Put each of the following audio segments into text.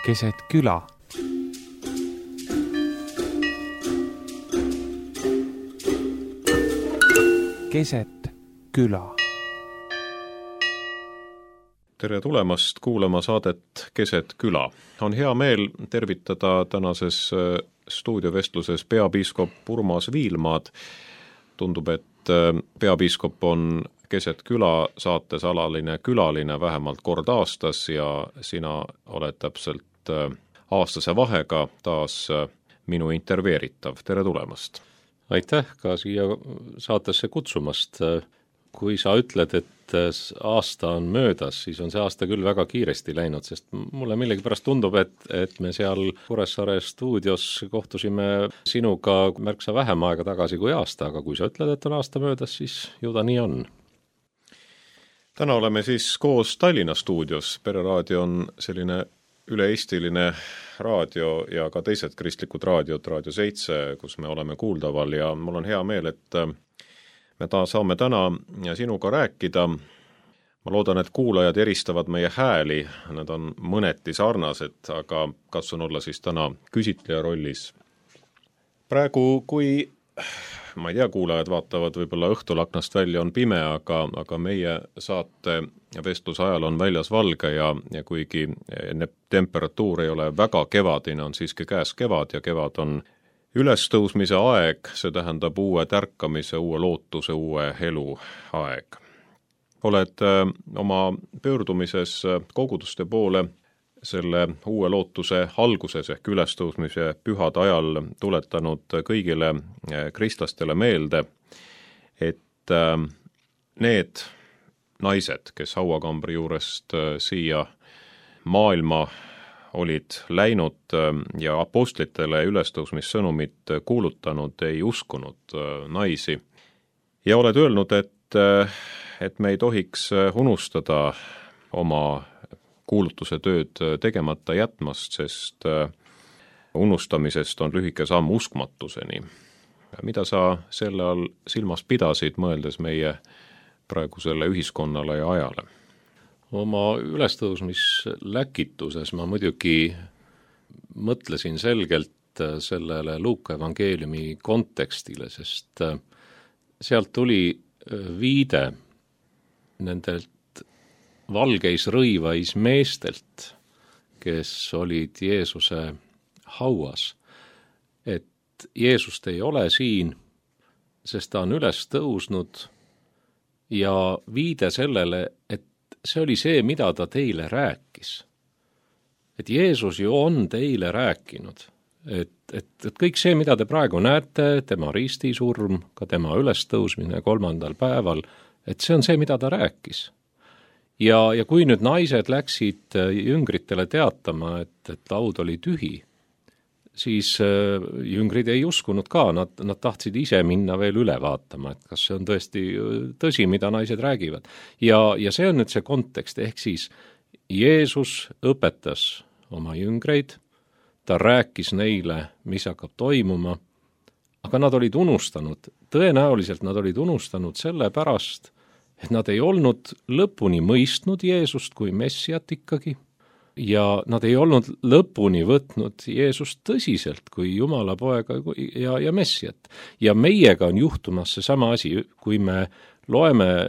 keset küla. Keset küla. Tere tulemast kuulama saadet Keset küla. On hea meel tervitada tänases stuudiovestluses peapiiskop Urmas Viilmaad. Tundub, et peapiiskop on Keset küla saates alaline külaline vähemalt kord aastas ja sina oled täpselt aastase vahega taas minu intervjueeritav. Tere tulemast! Aitäh ka siia saatesse kutsumast. Kui sa ütled, et aasta on möödas, siis on see aasta küll väga kiiresti läinud, sest mulle millegipärast tundub, et me seal Kuressaare stuudios kohtusime sinuga märksa vähem aega tagasi kui aasta, aga kui sa ütled, et on aasta möödas, siis ju ta nii on. Täna oleme siis koos Tallinna stuudios. Pereraadio on selline üle-eestiline raadio ja ka teised kristlikud raadiod, Raadio 7, kus me oleme kuuldaval ja mul on hea meel, et me saame täna sinuga rääkida. Ma loodan, et kuulajad eristavad meie hääli, nad on mõneti sarnased, aga katsun olla siis täna küsitleja rollis. Praegu, kui ma ei tea, kuulajad vaatavad võib-olla õhtul aknast välja, on pime, aga meie saate vestluse ajal on väljas valge ja kuigi temperatuur ei ole väga kevadine, on siiski käes kevad ja kevad on ülestõusmise aeg, see tähendab uue tärkamise, uue lootuse, uue elu aeg. Oled oma pöördumises koguduste poole selle uue lootuse alguses ehk ülestõusmise pühade ajal tuletanud kõigile kristlastele meelde, et need naised, kes hauakambri juurest siia maailma olid läinud ja apostlitele ülestõusmissõnumit kuulutanud, ei uskunud naisi. Ja oled öelnud, et me ei tohiks unustada oma kuulutuse tööd tegemata jätmast, sest unustamisest on lühike samm uskmatuseni. Mida sa selle all silmas pidasid, mõeldes meie praegusele ühiskonnale ja ajale? Oma ülestõusmisläkituses ma muidugi mõtlesin selgelt sellele Luuka evangeeliumi kontekstile, sest sealt tuli viide nendelt valgeis rõivais meestelt, kes olid Jeesuse hauas, et Jeesust ei ole siin, sest ta on üles tõusnud ja viide sellele, et see oli see, mida ta teile rääkis. Et Jeesus ju on teile rääkinud, et kõik see, mida te praegu näete, tema ristisurm, ka tema ülestõusmine 3. päeval, et see on see, mida ta rääkis. Ja kui nüüd naised läksid jüngritele teatama, et laud oli tühi, siis jüngrid ei uskunud ka, nad tahtsid ise minna veel üle vaatama, et kas see on tõesti tõsi, mida naised räägivad. Ja see on nüüd see kontekst, ehk siis Jeesus õpetas oma jüngreid, ta rääkis neile, mis hakkab toimuma, aga nad olid unustanud, tõenäoliselt nad olid unustanud selle pärast, et nad ei olnud lõpuni mõistnud Jeesust kui messiat ikkagi, ja nad ei olnud lõpuni võtnud Jeesust tõsiselt kui Jumala poega ja messiat. Ja meiega on juhtumas seesama asi, kui me loeme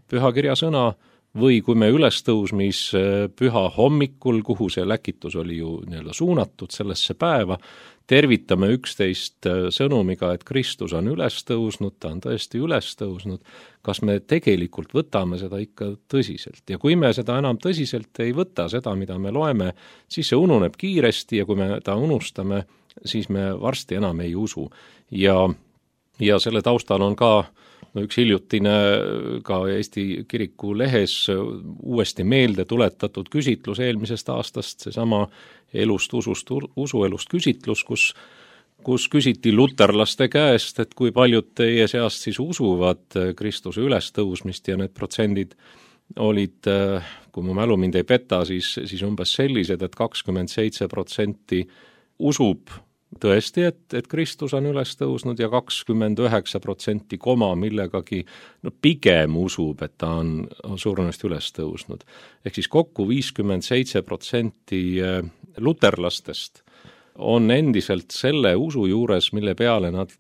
pühakirja sõna või kui me ülestõusmis püha hommikul, kuhu see läkitus oli ju suunatud sellesse päeva, tervitame üksteist sõnumiga, et Kristus on üles tõusnud, ta on tõesti üles tõusnud, kas me tegelikult võtame seda ikka tõsiselt. Ja kui me seda enam tõsiselt ei võta, seda, mida me loeme, siis see ununeb kiiresti ja kui me ta unustame, siis me varsti enam ei usu. Ja selle taustal on ka üks hiljutine ka Eesti kiriku lehes uuesti meelde tuletatud küsitlus eelmisest aastast, seesama usuelust küsitlus, kus küsiti luterlaste käest, et kui paljud teie seast siis usuvad Kristuse ülestõusmist ja need protsendid olid, kui mu mälu mind ei peta, siis umbes sellised, et 27% usub tõesti, et Kristus on üles tõusnud ja 29% koma millegagi pigem usub, et ta on surnust üles tõusnud. Ehk siis kokku 57% luterlastest on endiselt selle usu juures, mille peale nad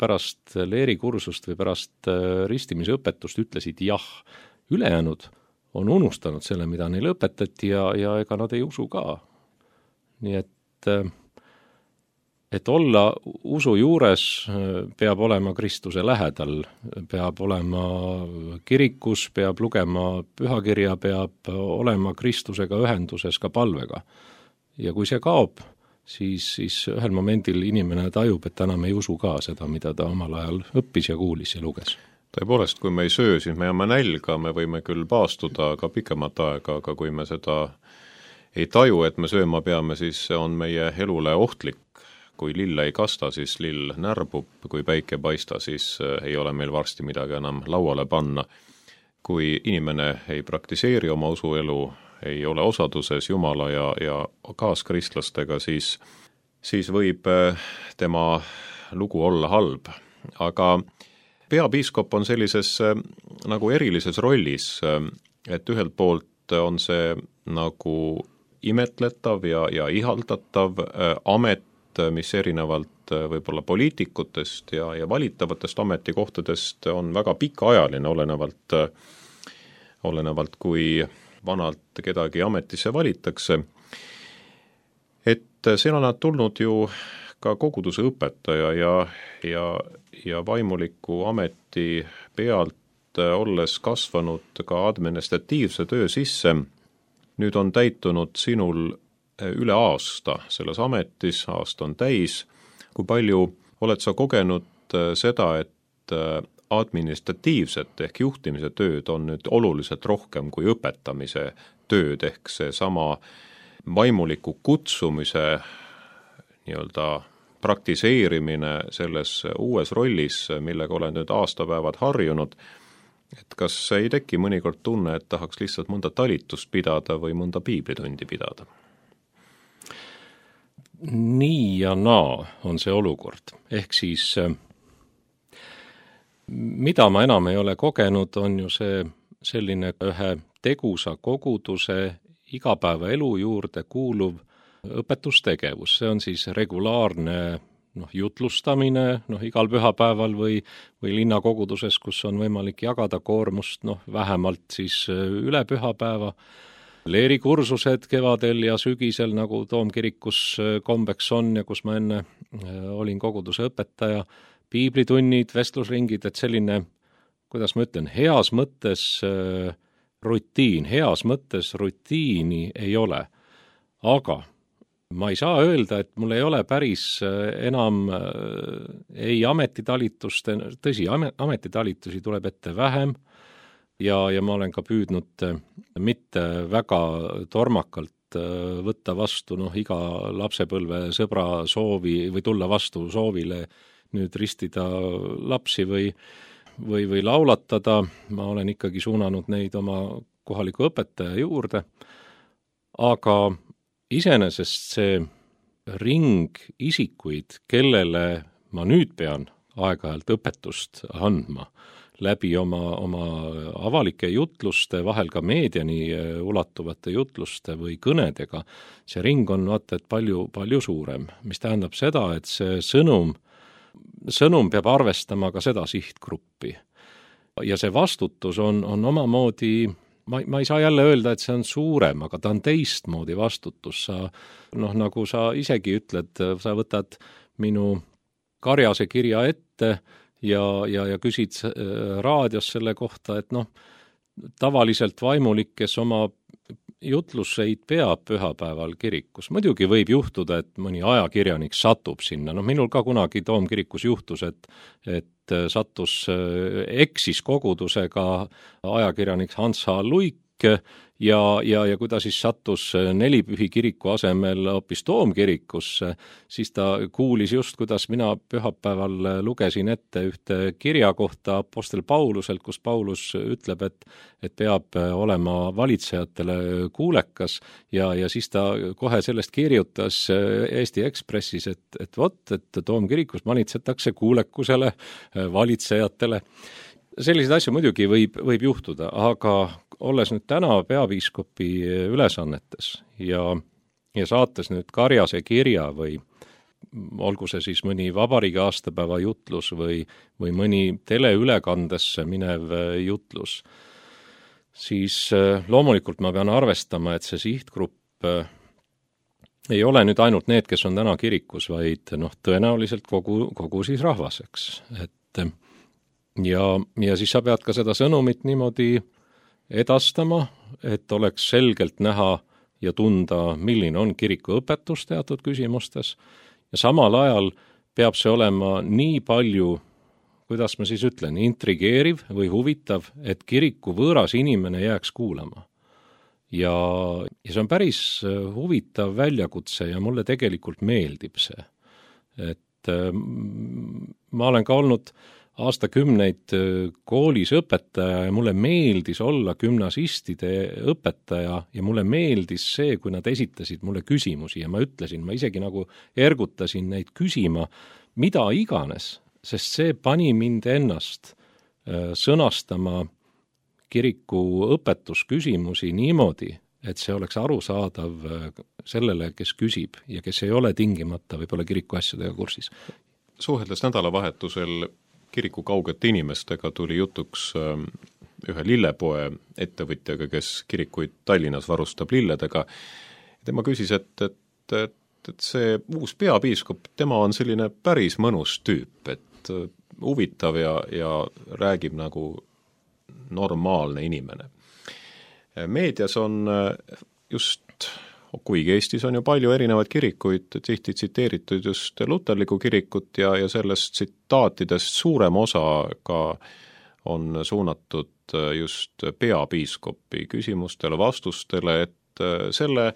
pärast leerikursust või pärast ristimise õpetust ütlesid jah. Ülejäänud on unustanud selle, mida neile õpetati ja ega nad ei usu ka. Nii et olla usu juures peab olema Kristuse lähedal, peab olema kirikus, peab lugema pühakirja, peab olema Kristusega ühenduses ka palvega. Ja kui see kaob, siis ühel momendil inimene tajub, et enam ei usu ka seda, mida ta omal ajal õppis ja kuulis ja luges. Tõepoolest, kui me ei söö, siis me jääme nälga, me võime küll paastuda ka pikemat aega, aga kui me seda ei taju, et me sööma peame, siis see on meie elule ohtlik. Kui lill ei kasta, siis lill närbub, kui päike paista, siis ei ole meil varsti midagi enam lauale panna. Kui inimene ei praktiseeri oma usuelu, ei ole osaduses Jumala ja kaaskristlastega, siis võib tema lugu olla halb. Aga peapiiskop on sellises nagu erilises rollis, et ühelt poolt on see nagu imetletav ja ihaldatav amet, mis erinevalt võib-olla poliitikutest ja valitavatest ametikohtadest on väga pikaajaline, olenevalt kui vanalt kedagi ametisse valitakse. Et siin on nad tulnud ju ka koguduse õpetaja ja vaimuliku ameti pealt olles kasvanud ka administratiivse töö sisse. Nüüd on täitunud sinul üle aasta selles ametis, aasta on täis. Kui palju oled sa kogenud seda, et administratiivset ehk juhtimise tööd on nüüd oluliselt rohkem kui õpetamise tööd ehk see sama vaimuliku kutsumise nii-öelda praktiseerimine selles uues rollis, millega olen nüüd aastapäevad harjunud, et kas ei teki mõnikord tunne, et tahaks lihtsalt mõnda talitust pidada või mõnda piiblitundi pidada? Nii ja naa on see olukord. Ehk siis, mida ma enam ei ole kogenud, on ju see selline ühe tegusa koguduse igapäevaelu juurde kuuluv õpetustegevus. See on siis regulaarne jutlustamine igal pühapäeval või linnakoguduses, kus on võimalik jagada koormust vähemalt siis üle pühapäeva. Leerikursused kevadel ja sügisel, nagu Toomkirikus kombeks on ja kus ma enne olin koguduse õpetaja, piiblitunnid, vestlusringid, et selline, kuidas ma ütlen, heas mõttes rutiini ei ole. Aga ma ei saa öelda, et mul ei ole päris enam ei ametitalitust, tõsi, ametitalitusi tuleb ette vähem, ja ma olen ka püüdnud mitte väga tormakalt võtta vastu iga lapsepõlve sõbra soovi või tulla vastu soovile nüüd ristida lapsi või laulatada. Ma olen ikkagi suunanud neid oma kohaliku õpetaja juurde, aga iseenesest see ring isikuid, kellele ma nüüd pean aeg-ajalt õpetust andma, läbi oma avalike jutluste, vahel ka meediani ulatuvate jutluste või kõnedega, see ring on palju suurem, mis tähendab seda, et see sõnum peab arvestama ka seda sihtgruppi. Ja see vastutus on omamoodi, ma ei saa jälle öelda, et see on suurem, aga ta on teistmoodi vastutus. Nagu sa isegi ütled, sa võtad minu karjase kirja ette ja küsid raadios selle kohta, et tavaliselt vaimulik, kes oma jutluseid peab pühapäeval kirikus. Muidugi võib juhtuda, et mõni ajakirjanik satub sinna. Minul ka kunagi Toomkirikus juhtus, et eksis kogudusega ajakirjanik Hans H. Luik ja kui ta siis sattus Nelipühi kiriku asemel hoopis Toomkirikusse, siis ta kuulis just, kuidas mina pühapäeval lugesin ette ühte kirja kohta apostel Pauluselt, kus Paulus ütleb, et peab olema valitsejatele kuulekas ja siis ta kohe sellest kirjutas Eesti Ekspressis, et Toomkirikus manitsetakse kuulekusele valitsejatele. Selliseid asju muidugi võib juhtuda, aga olles nüüd täna peapiiskopi ülesannetes ja ja saates nüüd Karjase kirja või olgu see siis mõni vabariigi aastapäeva jutlus või mõni teleülekandesse minev jutlus, siis loomulikult ma pean arvestama, et see sihtgrupp ei ole nüüd ainult need, kes on täna kirikus, vaid tõenäoliselt kogu siis rahvas, eks. Ja siis sa pead ka seda sõnumit niimoodi edastama, et oleks selgelt näha ja tunda, milline on kiriku õpetus teatud küsimustes, ja samal ajal peab see olema nii palju, kuidas ma siis ütlen, intrigeeriv või huvitav, et kiriku võõras inimene jääks kuulama. Ja see on päris huvitav väljakutse ja mulle tegelikult meeldib see. Et ma olen ka olnud aastakümneid koolis õpetaja ja mulle meeldis olla gümnasistide õpetaja ja mulle meeldis see, kui nad esitasid mulle küsimusi ja ma ütlesin, ma isegi nagu ergutasin neid küsima, mida iganes, sest see pani mind ennast sõnastama kiriku õpetusküsimusi niimoodi, et see oleks arusaadav sellele, kes küsib ja kes ei ole tingimata võib-olla kiriku asjadega kursis. Suheldes nädalavahetusel kiriku kaugete inimestega tuli jutuks ühe lillepoe ettevõtjaga, kes kirikuid Tallinnas varustab lilledega. Tema küsis, et see uus peapiiskop, tema on selline päris mõnus tüüp, et huvitav ja räägib nagu normaalne inimene. Meedias on just, kuigi Eestis on ju palju erinevaid kirikuid, tihti tsiteeritud just luterlikku kirikut ja sellest tsitaatidest suurem osa ka on suunatud just peapiiskopi küsimustele, vastustele, et selle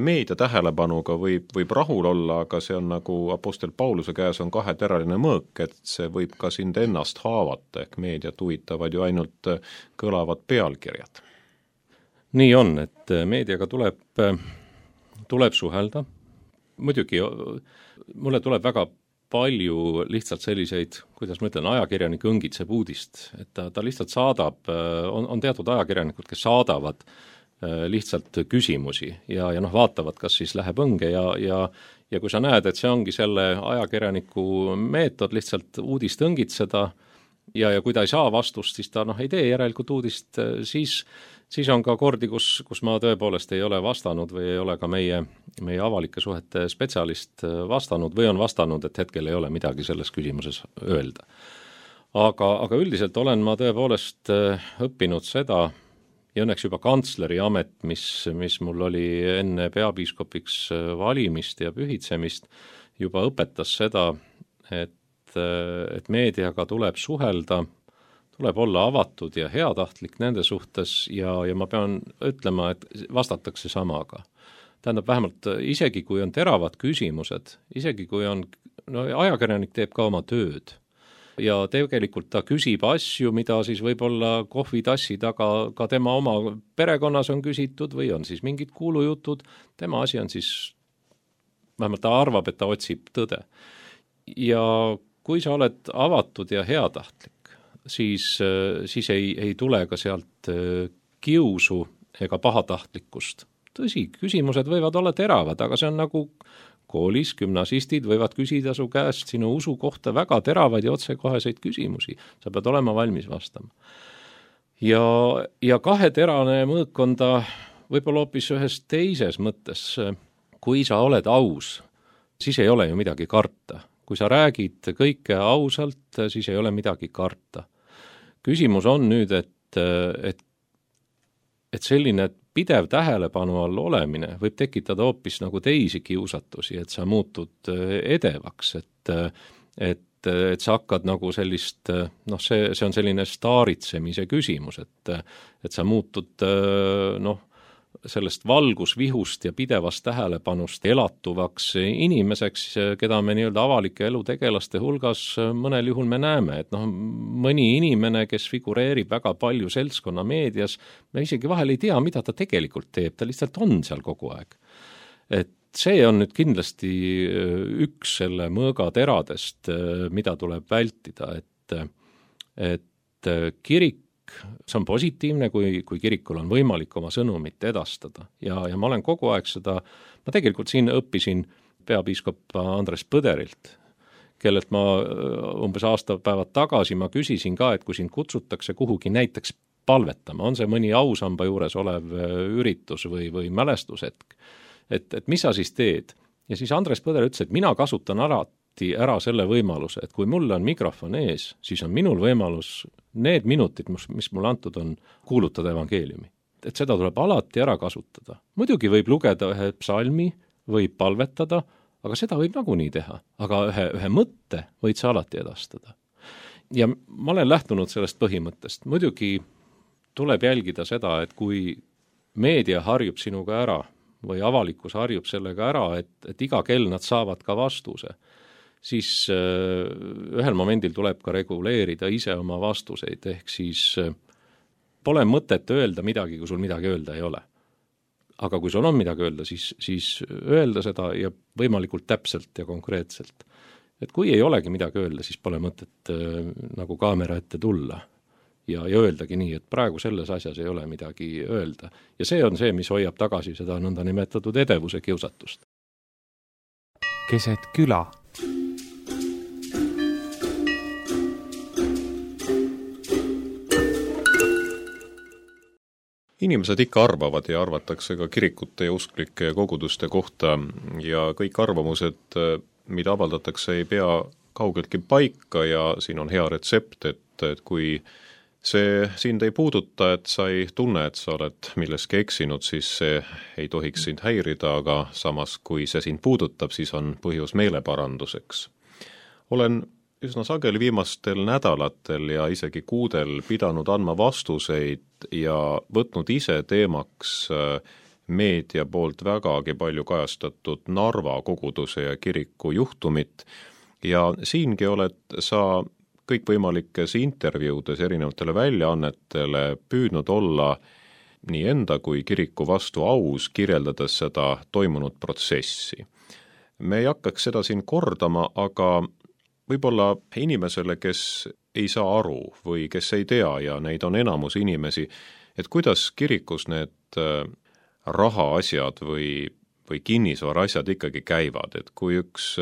meedia tähelepanuga võib rahul olla, aga see on nagu apostel Pauluse käes on kaheteraline mõõk, et see võib ka sind ennast haavata, ehk meediat huvitavad ju ainult kõlavad pealkirjad. Nii on, et meediaga tuleb suhelda. Muidugi mulle tuleb väga palju lihtsalt selliseid, kuidas ma ütlen, ajakirjanik õngitseb uudist, et ta lihtsalt saadab, on teatud ajakirjanikud, kes saadavad lihtsalt küsimusi ja vaatavad, kas siis läheb õnge ja kui sa näed, et see ongi selle ajakirjaniku meetod lihtsalt uudist õngitseda ja kui ta ei saa vastust, siis ta ei tee järelikult uudist, siis on ka kordi, kus ma tõepoolest ei ole vastanud või ei ole ka meie avalike suhete spetsialist vastanud või on vastanud, et hetkel ei ole midagi selles küsimuses öelda. Aga üldiselt olen ma tõepoolest õppinud seda, ja õnneks juba kantsleri amet, mis mul oli enne peapiiskopiks valimist ja pühitsemist, juba õpetas seda, et meediaga tuleb suhelda, tuleb olla avatud ja heatahtlik nende suhtes ja ma pean ütlema, et vastatakse samaga. Tähendab, vähemalt isegi kui on teravad küsimused, isegi kui on, ajakirjanik teeb ka oma tööd ja tegelikult ta küsib asju, mida siis võib-olla kohvitassi taga ka tema oma perekonnas on küsitud või on siis mingid kuulujutud, tema asi on siis, vähemalt ta arvab, et ta otsib tõde. Ja kui sa oled avatud ja heatahtlik, siis ei tule ka sealt kiusu ega pahatahtlikkust. Tõsi, küsimused võivad olla teravad, aga see on nagu koolis gümnasistid võivad küsida su käest sinu usu kohta väga teravaid ja otsekoheseid küsimusi. Sa pead olema valmis vastama. Ja kaheterane mõõk on ta võib-olla hoopis ühes teises mõttes. Kui sa oled aus, siis ei ole ju midagi karta. Kui sa räägid kõike ausalt, siis ei ole midagi karta. Küsimus on nüüd, et selline pidev tähelepanu all olemine võib tekitada hoopis nagu teisi kiusatusi, et sa muutud edevaks, et sa hakkad nagu sellist, see on selline staaritsemise küsimus, et sa muutud sellest valgusvihust ja pidevast tähelepanust elatuvaks inimeseks, keda me nii-öelda avalike elutegelaste hulgas mõnel juhul me näeme, et mõni inimene, kes figureerib väga palju seltskonna meedias, me isegi vahel ei tea, mida ta tegelikult teeb, ta lihtsalt on seal kogu aeg. Et see on nüüd kindlasti üks selle mõõga teradest, mida tuleb vältida, et kirik see on positiivne, kui kirikul on võimalik oma sõnumit edastada. Ja ma olen kogu aeg seda, ma tegelikult siin õppisin peapiiskop Andres Põderilt, kellelt ma umbes aastapäevad tagasi ma küsisin ka, et kui sind kutsutakse kuhugi näiteks palvetama, on see mõni ausamba juures olev üritus või mälestushetk, et mis sa siis teed? Ja siis Andres Põder ütles, et mina kasutan alati ära selle võimaluse, et kui mul on mikrofon ees, siis on minul võimalus need minutid, mis mulle antud on, kuulutada evangeeliumi. Et seda tuleb alati ära kasutada. Muidugi võib lugeda ühe psalmi, võib palvetada, aga seda võib nagunii teha. Aga ühe mõtte võid sa alati edastada. Ja ma olen lähtunud sellest põhimõttest. Muidugi tuleb jälgida seda, et kui meedia harjub sinuga ära või avalikkus harjub sellega ära, et iga kell nad saavad ka vastuse, siis ühel momendil tuleb ka reguleerida ise oma vastuseid, ehk siis pole mõtet öelda midagi, kui sul midagi öelda ei ole. Aga kui sul on midagi öelda, siis öelda seda ja võimalikult täpselt ja konkreetselt. Et kui ei olegi midagi öelda, siis pole mõtet nagu kaamera ette tulla ja öeldagi nii, et praegu selles asjas ei ole midagi öelda. Ja see on see, mis hoiab tagasi seda nõnda nimetatud edevuse kiusatust. Keset küla. Inimesed ikka arvavad ja arvatakse ka kirikute ja usklike koguduste kohta ja kõik arvamused, mida avaldatakse, ei pea kaugeltki paika ja siin on hea retsept, et kui see sind ei puuduta, et sa ei tunne, et sa oled milleski eksinud, siis see ei tohiks sind häirida, aga samas, kui see sind puudutab, siis on põhjus meeleparanduseks. Olen üsna sageli viimastel nädalatel ja isegi kuudel pidanud andma vastuseid ja võtnud ise teemaks meedia poolt vägagi palju kajastatud Narva koguduse ja kiriku juhtumit ja siingi oled sa kõikvõimalikes intervjuudes erinevatele väljaannetele püüdnud olla nii enda kui kiriku vastu aus, kirjeldades seda toimunud protsessi. Me ei hakkaks seda siin kordama, aga võib-olla inimesele, kes ei saa aru või kes ei tea ja neid on enamus inimesi, et kuidas kirikus need rahaasjad või kinnisvara asjad ikkagi käivad, et kui üks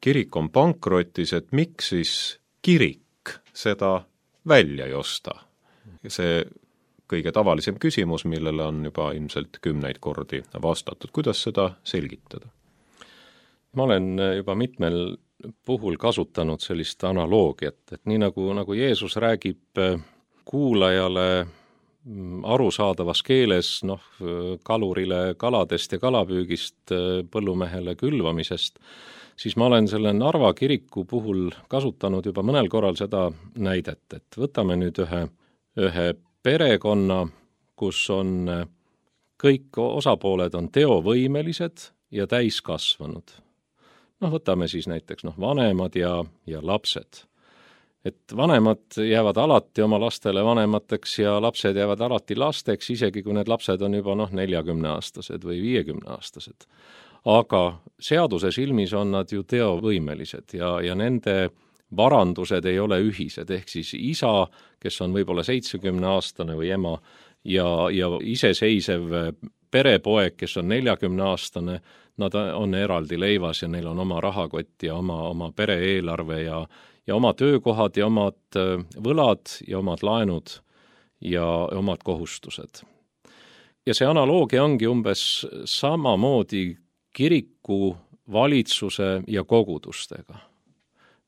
kirik on pankrotis, et miks siis kirik seda välja ei osta? See kõige tavalisem küsimus, millele on juba ilmselt 10 kordi vastatud. Kuidas seda selgitada? Ma olen juba mitmel puhul kasutanud sellist analoogiat, et nii nagu Jeesus räägib kuulajale arusaadavas keeles, kalurile kaladest ja kalapüügist, põllumehele külvamisest, siis ma olen selle Narva kiriku puhul kasutanud juba mõnel korral seda näidet, et võtame nüüd ühe perekonna, kus on kõik osapooled on teovõimelised ja täiskasvanud. Võtame siis näiteks vanemad ja lapsed. Et vanemad jäävad alati oma lastele vanemateks ja lapsed jäävad alati lasteks, isegi kui need lapsed on juba 40-aastased või 50-aastased. Aga seaduse silmis on nad ju teovõimelised ja nende varandused ei ole ühised, ehk siis isa, kes on võib-olla 70-aastane või ema ja iseseisev perepoeg, kes on 40-aastane, nad on eraldi leivas ja neil on oma rahakott ja oma pere-eelarve ja oma töökohad ja omad võlad ja omad laenud ja omad kohustused. Ja see analoogia ongi umbes samamoodi kiriku, valitsuse ja kogudustega.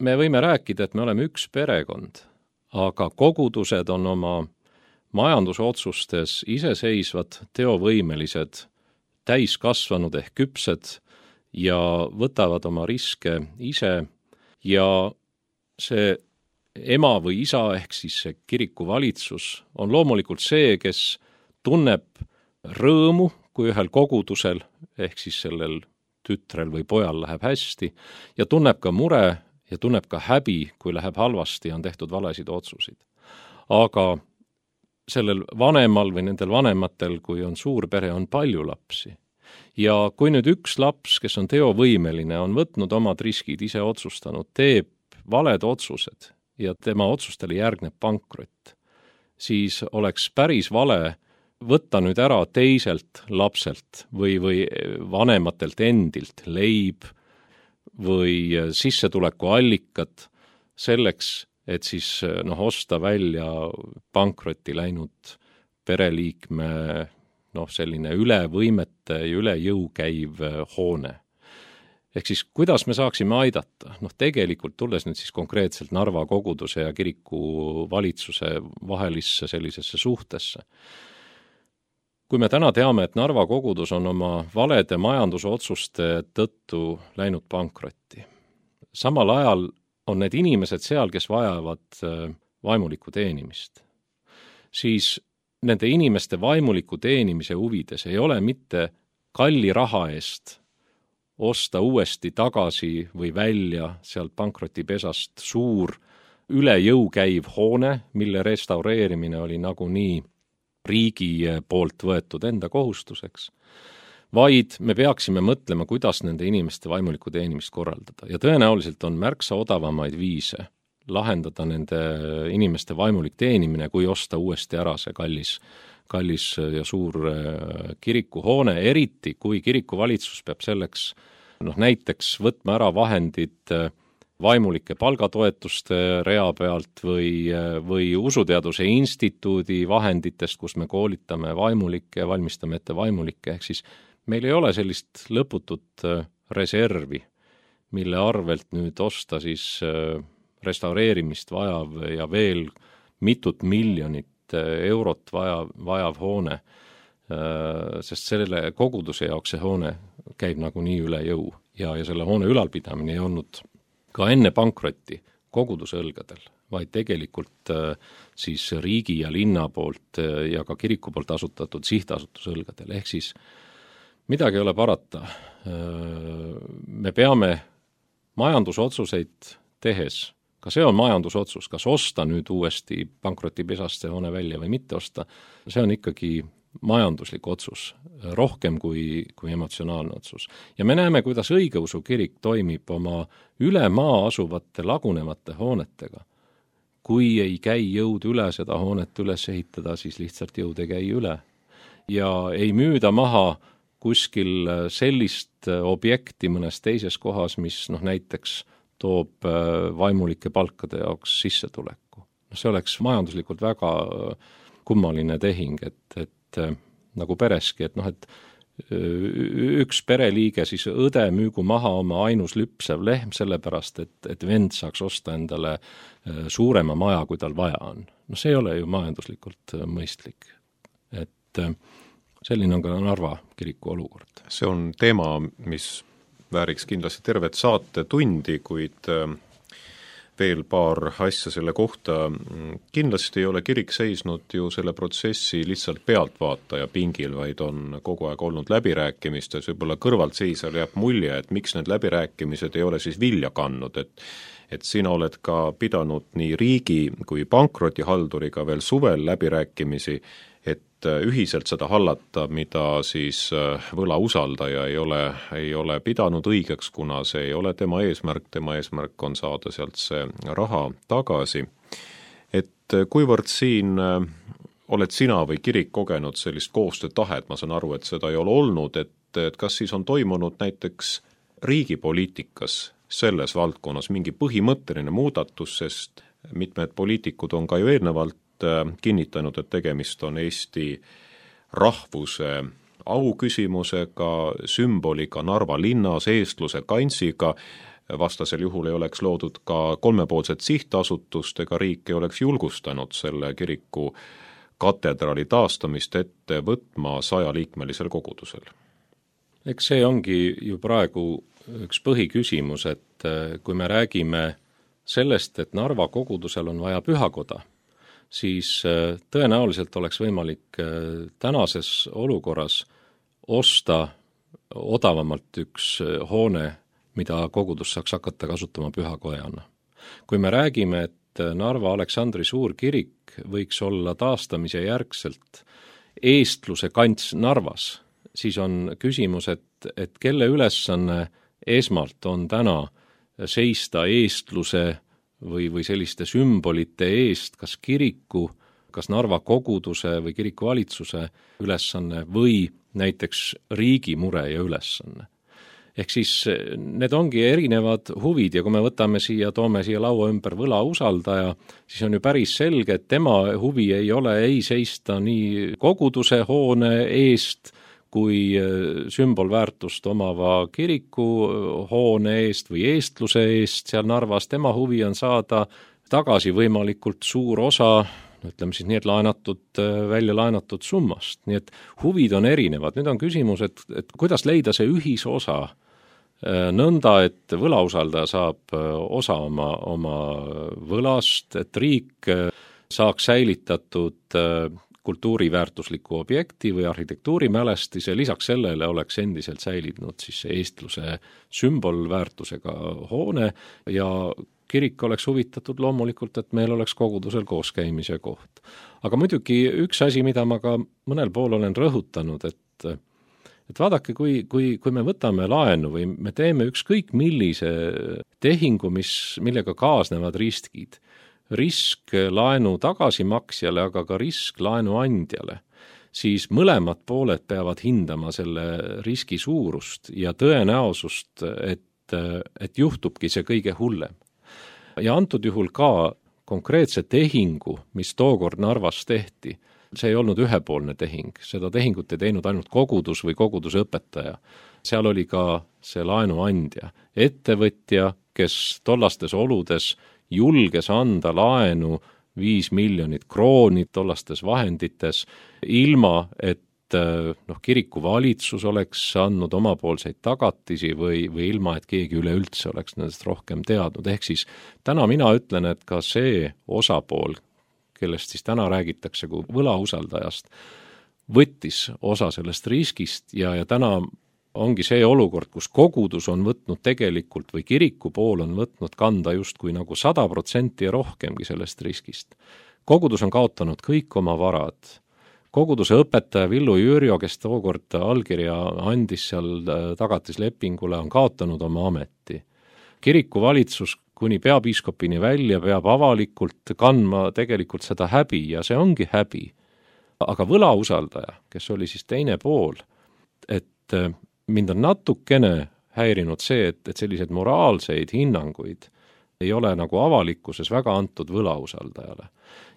Me võime rääkida, et me oleme üks perekond, aga kogudused on oma majandusotsustes iseseisvad, teovõimelised, täiskasvanud ehk küpsed ja võtavad oma riske ise ja see ema või isa ehk siis see kiriku valitsus on loomulikult see, kes tunneb rõõmu, kui ühel kogudusel ehk siis sellel tütrel või pojal läheb hästi ja tunneb ka mure ja tunneb ka häbi, kui läheb halvasti ja on tehtud valesid otsusid. Aga sellel vanemal või nendel vanematel, kui on suur pere, on palju lapsi. Ja kui nüüd üks laps, kes on teovõimeline, on võtnud omad riskid, ise otsustanud, teeb valed otsused ja tema otsustele järgneb pankrot, siis oleks päris vale võtta nüüd ära teiselt lapselt või vanematelt endilt leib või sissetulekuallikat selleks, et siis osta välja pankrotti läinud pereliikme selline üle võimete ja üle jõu käiv hoone. Ehk siis, kuidas me saaksime aidata? Tegelikult tulles nüüd siis konkreetselt Narva koguduse ja kiriku valitsuse vahelisse sellisesse suhtesse. Kui me täna teame, et Narva kogudus on oma valede majandusotsuste tõttu läinud pankrotti, samal ajal on need inimesed seal, kes vajavad vaimulikku teenimist, siis nende inimeste vaimuliku teenimise huvides ei ole mitte kalli raha eest osta uuesti tagasi või välja sealt pankrotipesast suur üle jõu käiv hoone, mille restaureerimine oli nagunii riigi poolt võetud enda kohustuseks, vaid me peaksime mõtlema, kuidas nende inimeste vaimulikku teenimist korraldada. Ja tõenäoliselt on märksa odavamaid viise lahendada nende inimeste vaimulik teenimine, kui osta uuesti ära see kallis ja suur kirikuhoone, eriti kui kirikuvalitsus peab selleks näiteks võtma ära vahendid vaimulike palgatoetuste rea pealt või Usuteaduse Instituudi vahenditest, kus me koolitame vaimulikke ja valmistame ette vaimulikke, ehk siis meil ei ole sellist lõputut reservi, mille arvelt nüüd osta siis restaureerimist vajav ja veel mitut miljonit eurot vajav hoone, sest selle koguduse jaoks see hoone käib nagunii üle jõu ja selle hoone ülalpidamine ei olnud ka enne pankrotti koguduse õlgadel, vaid tegelikult siis riigi ja linna poolt ja ka kiriku poolt asutatud sihtasutuse õlgadel. Ehk siis midagi ei ole parata. Me peame majandusotsuseid tehes, ka see on majandusotsus, kas osta nüüd uuesti pankrotipesast see hoone välja või mitte osta, see on ikkagi majanduslik otsus, rohkem kui emotsionaalne otsus. Ja me näeme, kuidas õigeusu kirik toimib oma üle maa asuvate lagunevate hoonetega. Kui ei käi jõud üle seda hoonet üles ehitada, siis lihtsalt jõud ei käi üle. Ja ei müüda maha kuskil sellist objekti mõnes teises kohas, mis näiteks toob vaimulike palkade jaoks sissetuleku. See oleks majanduslikult väga kummaline tehing, et nagu pereski, et üks pereliige siis õde müügu maha oma ainus lüpsev lehm sellepärast, et vend saaks osta endale suurema maja, kui tal vaja on. See ei ole ju majanduslikult mõistlik. Et selline on ka Narva kiriku olukord. See on teema, mis vääriks kindlasti tervet saatetundi, kuid veel paar asja selle kohta. Kindlasti ei ole kirik seisnud ju selle protsessi lihtsalt pealtvaataja pingil, vaid on kogu aeg olnud läbirääkimistes, võib-olla kõrvaltseisjal jääb mulje, et miks need läbirääkimised ei ole siis vilja kandnud, et sina oled ka pidanud nii riigi kui pankrotihalduriga veel suvel läbirääkimisi, et ühiselt seda hallata, mida siis võlausaldaja ei ole pidanud õigeks, kuna see ei ole tema eesmärk on saada sealt see raha tagasi. Et kuivõrd siin oled sina või kirik kogenud sellist koostöötahet, ma saan aru, et seda ei ole olnud, et kas siis on toimunud näiteks riigipoliitikas selles valdkonnas mingi põhimõtteline muudatus, sest mitmed poliitikud on ka ju eelnevalt kinnitanud, et tegemist on Eesti rahvuse auküsimusega, sümboliga Narva linnas, eestluse kantsiga, vastasel juhul ei oleks loodud ka kolmepoolset sihtasutust ega riik ei oleks julgustanud selle kiriku katedraali taastamist ette võtma 100-liikmelisel kogudusel. Eks see ongi ju praegu üks põhiküsimus, et kui me räägime sellest, et Narva kogudusel on vaja pühakoda, siis tõenäoliselt oleks võimalik tänases olukorras osta odavamalt üks hoone, mida kogudus saaks hakata kasutama pühakojana. Kui me räägime, et Narva Aleksandri suurkirik võiks olla taastamise järgselt eestluse kants Narvas, siis on küsimus, et kelle ülesanne esmalt on täna seista eestluse või selliste sümbolite eest, kas kiriku kas Narva koguduse või kirikuvalitsuse ülesanne või näiteks riigi mure ja ülesanne. Ehk siis need ongi erinevad huvid ja kui me toome siia laua ümber võlausaldaja, siis on ju päris selge, et tema huvi ei ole ei seista nii koguduse hoone eest kui sümbolväärtust omava kiriku hoone eest või eestluse eest seal Narvas. Tema huvi on saada tagasi võimalikult suur osa, ütleme siis nii, et välja laenatud summast. Nii et huvid on erinevad. Nüüd on küsimus, et kuidas leida see ühisosa nõnda, et võlausaldaja saab osa oma võlast, et riik saaks säilitatud kultuuriväärtusliku objekti või arhitektuurimälestise, lisaks sellele oleks endiselt säilinud siis eestluse sümbolväärtusega hoone ja kirik oleks huvitatud loomulikult, et meil oleks kogudusel kooskäimise koht. Aga muidugi üks asi, mida ma ka mõnel pool olen rõhutanud, et vaadake, kui me võtame laenu või me teeme ükskõik millise tehingu, millega kaasnevad riskid, risk laenu tagasimaksjale, aga ka risk laenu andjale, siis mõlemad pooled peavad hindama selle riski suurust ja tõenäosust, et juhtubki see kõige hullem. Ja antud juhul ka konkreetse tehingu, mis tookord Narvas tehti, see ei olnud ühepoolne tehing, seda tehingut ei teinud ainult kogudus või koguduse õpetaja. Seal oli ka see laenuandja, ettevõtja, kes tollastes oludes julges anda laenu 5 miljonit krooni tollastes vahendites, ilma et kiriku valitsus oleks andnud omapoolseid tagatisi või ilma, et keegi üleüldse oleks nendest rohkem teadnud. Ehk siis täna mina ütlen, et ka see osapool, kellest siis täna räägitakse kui võlausaldajast, võttis osa sellest riskist ja täna ongi see olukord, kus kogudus on võtnud tegelikult või kiriku pool on võtnud kanda justkui nagu 100% ja rohkemgi sellest riskist. Kogudus on kaotanud kõik oma varad. Koguduse õpetaja Villu Jürjo, kes tookord allkirja andis seal tagatislepingule, on kaotanud oma ameti. Kiriku valitsus kuni peapiiskopini välja peab avalikult kandma tegelikult seda häbi ja see ongi häbi. Aga võlausaldaja, kes oli siis teine pool, et mind on natukene häirinud see, et sellised moraalseid hinnanguid ei ole nagu avalikkuses väga antud võlausaldajale.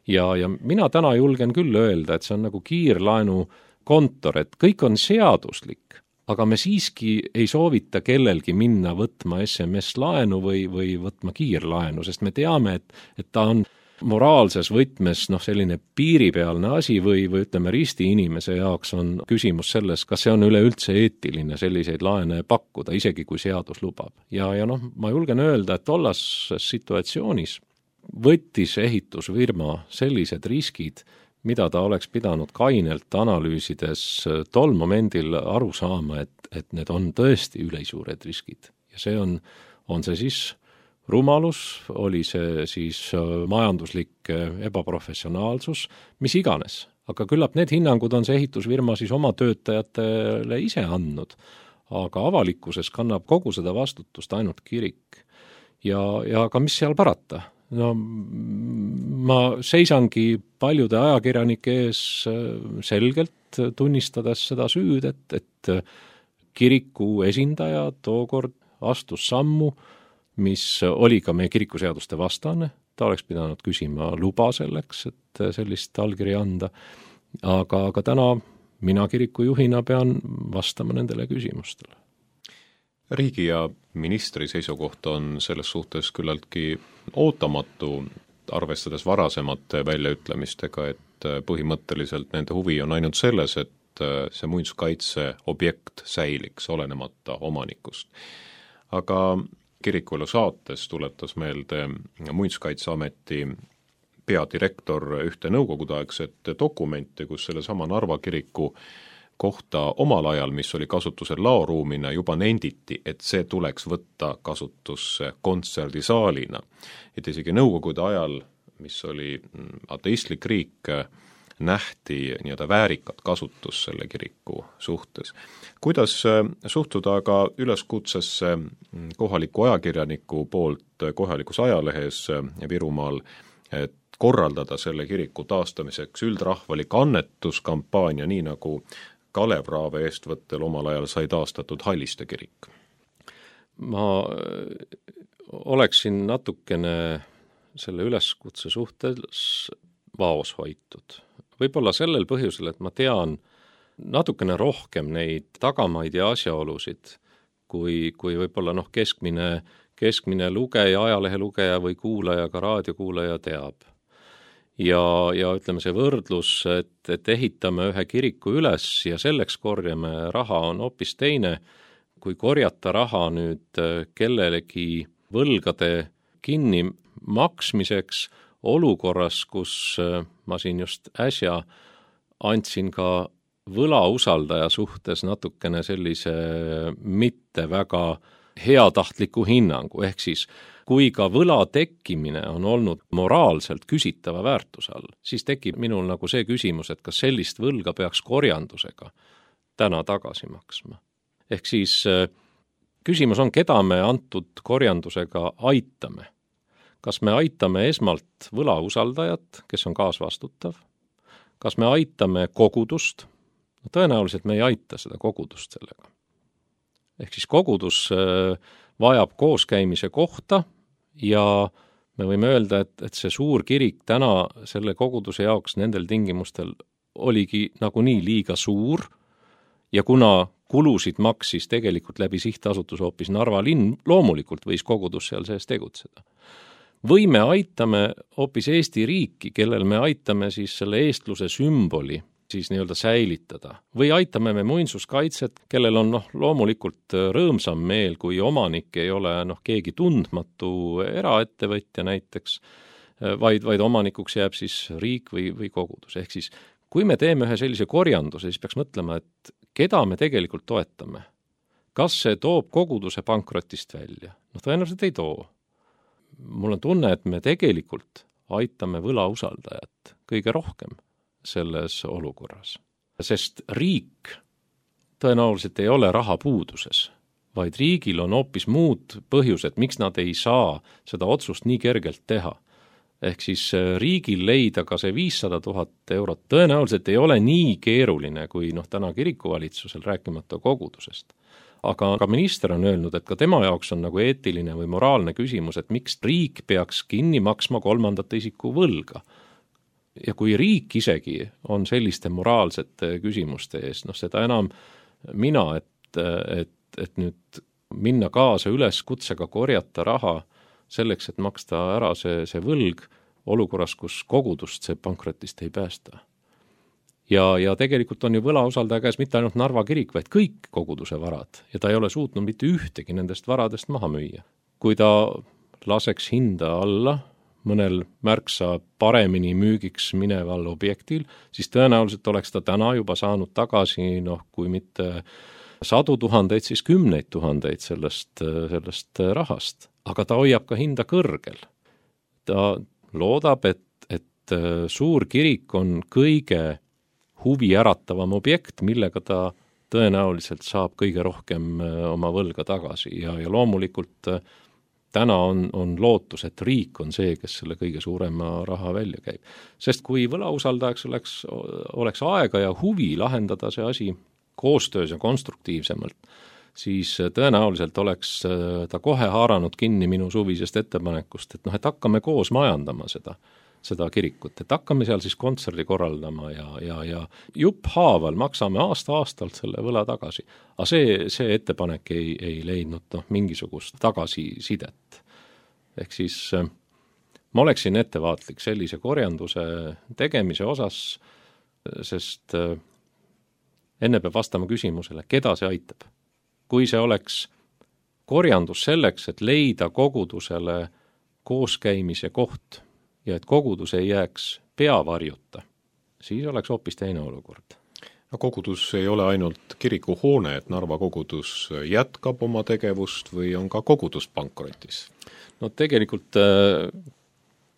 Ja mina täna julgen küll öelda, et see on nagu kiirlaenu kontor, et kõik on seaduslik, aga me siiski ei soovita kellelgi minna võtma SMS-laenu või võtma kiirlaenu, sest me teame, et ta on moraalses võtmes selline piiripealne asi või ütleme risti inimese jaoks on küsimus selles, kas see on üleüldse eetiline selliseid laene pakkuda, isegi kui seadus lubab. Ja ma julgen öelda, et tollases situatsioonis võttis ehitusfirma sellised riskid, mida ta oleks pidanud kainelt analüüsides tol momendil aru saama, et need on tõesti ülisuured riskid. Ja see on see siis rumalus, oli see siis majanduslik ebaprofessionaalsus, mis iganes. Aga küllap need hinnangud on see ehitusfirma siis oma töötajatele ise andnud, aga avalikkuses kannab kogu seda vastutust ainult kirik. Ja ka mis seal parata? Ma seisangi paljude ajakirjanike ees selgelt tunnistades seda süüd, et kiriku esindaja tookord astus sammu, mis oli ka meie kirikuseaduste vastane, ta oleks pidanud küsima luba selleks, et sellist allkirja anda, aga täna mina kirikujuhina pean vastama nendele küsimustele. Riigi ja ministri seisukoht on selles suhtes küllaltki ootamatu, arvestades varasemate väljaütlemistega, et põhimõtteliselt nende huvi on ainult selles, et see muinsuskaitse objekt säiliks olenemata omanikust. Aga Kirikuelu saates tuletas meelde Muinsuskaitseameti peadirektor ühte nõukogudeaegset dokumenti, kus sellesama Narva kiriku kohta omal ajal, mis oli kasutusel laoruumina, juba nenditi, et see tuleks võtta kasutusse kontserdisaalina. Et isegi nõukogude ajal, mis oli ateistlik riik, nähti nii-öelda väärikat kasutus selle kiriku suhtes. Kuidas suhtuda aga üleskutsesse kohaliku ajakirjaniku poolt kohalikus ajalehes Virumaal, et korraldada selle kiriku taastamiseks üldrahvalik annetuskampaania, nii nagu Kalev Raave eestvõttel omal ajal sai taastatud Halliste kirik? Ma oleksin natukene selle üleskutse suhtes vaoshoitud. Võib-olla sellel põhjusel, et ma tean natukene rohkem neid tagamaid ja asjaolusid, kui võib-olla keskmine lugeja, ajalehelugeja või kuulaja, ka raadiokuulaja teab. Ja ütleme, see võrdlus, et ehitame ühe kiriku üles ja selleks korjame raha, on hoopis teine, kui korjata raha nüüd kellelegi võlgade kinni maksmiseks olukorras, kus ma siin just äsja andsin ka võlausaldaja suhtes natukene sellise mitte väga heatahtliku hinnangu, ehk siis kui ka võla tekkimine on olnud moraalselt küsitava väärtuse all, siis tekib minul nagu see küsimus, et kas sellist võlga peaks korjandusega täna tagasi maksma. Ehk siis küsimus on, keda me antud korjandusega aitame. Kas me aitame esmalt võlausaldajat, kes on kaasvastutav? Kas me aitame kogudust? No, tõenäoliselt me ei aita seda kogudust sellega. Ehk siis kogudus vajab kooskäimise kohta ja me võime öelda, et see suur kirik täna selle koguduse jaoks nendel tingimustel oligi nagunii liiga suur ja kuna kulusid maksis tegelikult läbi sihtasutus hoopis Narva linn, loomulikult võis kogudus seal sees tegutseda. Või me aitame hoopis Eesti riiki, kellel me aitame siis selle eestluse sümboli siis nii-öelda säilitada. Või aitame me muinsuskaitset, kellel on loomulikult rõõmsam meel, kui omanik ei ole keegi tundmatu eraettevõtja näiteks, vaid omanikuks jääb siis riik või kogudus. Ehk siis, kui me teeme ühe sellise korjanduse, siis peaks mõtlema, et keda me tegelikult toetame. Kas see toob koguduse pankrotist välja? Tõenäoliselt ei too. Mul on tunne, et me tegelikult aitame võlausaldajat kõige rohkem selles olukorras. Sest riik tõenäoliselt ei ole rahapuuduses, vaid riigil on hoopis muud põhjused, miks nad ei saa seda otsust nii kergelt teha. Ehk siis riigil leida ka see 500 000 eurot tõenäoliselt ei ole nii keeruline kui täna kirikuvalitsusel, rääkimata kogudusest. Aga minister on öelnud, et ka tema jaoks on nagu eetiline või moraalne küsimus, et miks riik peaks kinni maksma kolmandate isiku võlga. Ja kui riik isegi on selliste moraalsete küsimuste ees, seda enam mina, et nüüd minna kaasa üleskutsega korjata raha selleks, et maksta ära see võlg olukorras, kus kogudust see pankrotist ei päästa. Ja tegelikult on ju võlausaldaja käes mitte ainult Narva kirik, vaid kõik koguduse varad ja ta ei ole suutnud mitte ühtegi nendest varadest maha müüa. Kui ta laseks hinda alla mõnel märksa paremini müügiks mineval objektil, siis tõenäoliselt oleks ta täna juba saanud tagasi, kui mitte 100 000, siis 10 000 sellest rahast. Aga ta hoiab ka hinda kõrgel. Ta loodab, et suur kirik on kõige huvi äratavam objekt, millega ta tõenäoliselt saab kõige rohkem oma võlga tagasi ja loomulikult täna on lootus, et riik on see, kes selle kõige suurema raha välja käib. Sest kui võlausaldajaks oleks aega ja huvi lahendada see asi koostöös ja konstruktiivsemalt, siis tõenäoliselt oleks ta kohe haaranud kinni minu suvisest ettepanekust, et hakkame koos majandama seda kirikut, et hakkame seal siis kontserdi korraldama ja jupphaaval maksame aasta-aastalt selle võla tagasi. Aga see ettepanek ei leidnud mingisugust tagasisidet. Ehk siis ma oleksin ettevaatlik sellise korjanduse tegemise osas, sest enne peab vastama küsimusele, keda see aitab. Kui see oleks korjandus selleks, et leida kogudusele kooskäimise koht, ja et kogudus ei jääks peavarjuta, siis oleks hoopis teine olukord. Kogudus ei ole ainult kirikuhoone, et Narva kogudus jätkab oma tegevust või on ka kogudus pankrotis? Tegelikult